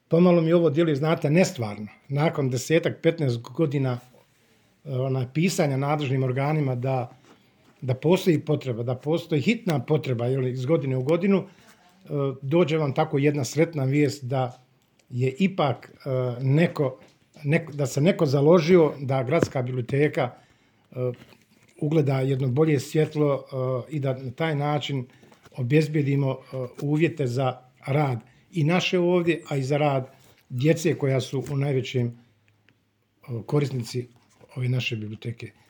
pomalo mi ovo djeluje, znate, nestvarno. Nakon 10-15 godina pisanja nadležnim organima da postoji potreba, da postoji hitna potreba iz godine u godinu, dođe vam tako jedna sretna vijest da je ipak da se neko založio da gradska biblioteka ugleda jedno bolje svjetlo i da na taj način obezbijedimo uvjete za rad i naše ovdje, a i za rad djece koja su u najvećem korisnici ove naše biblioteke.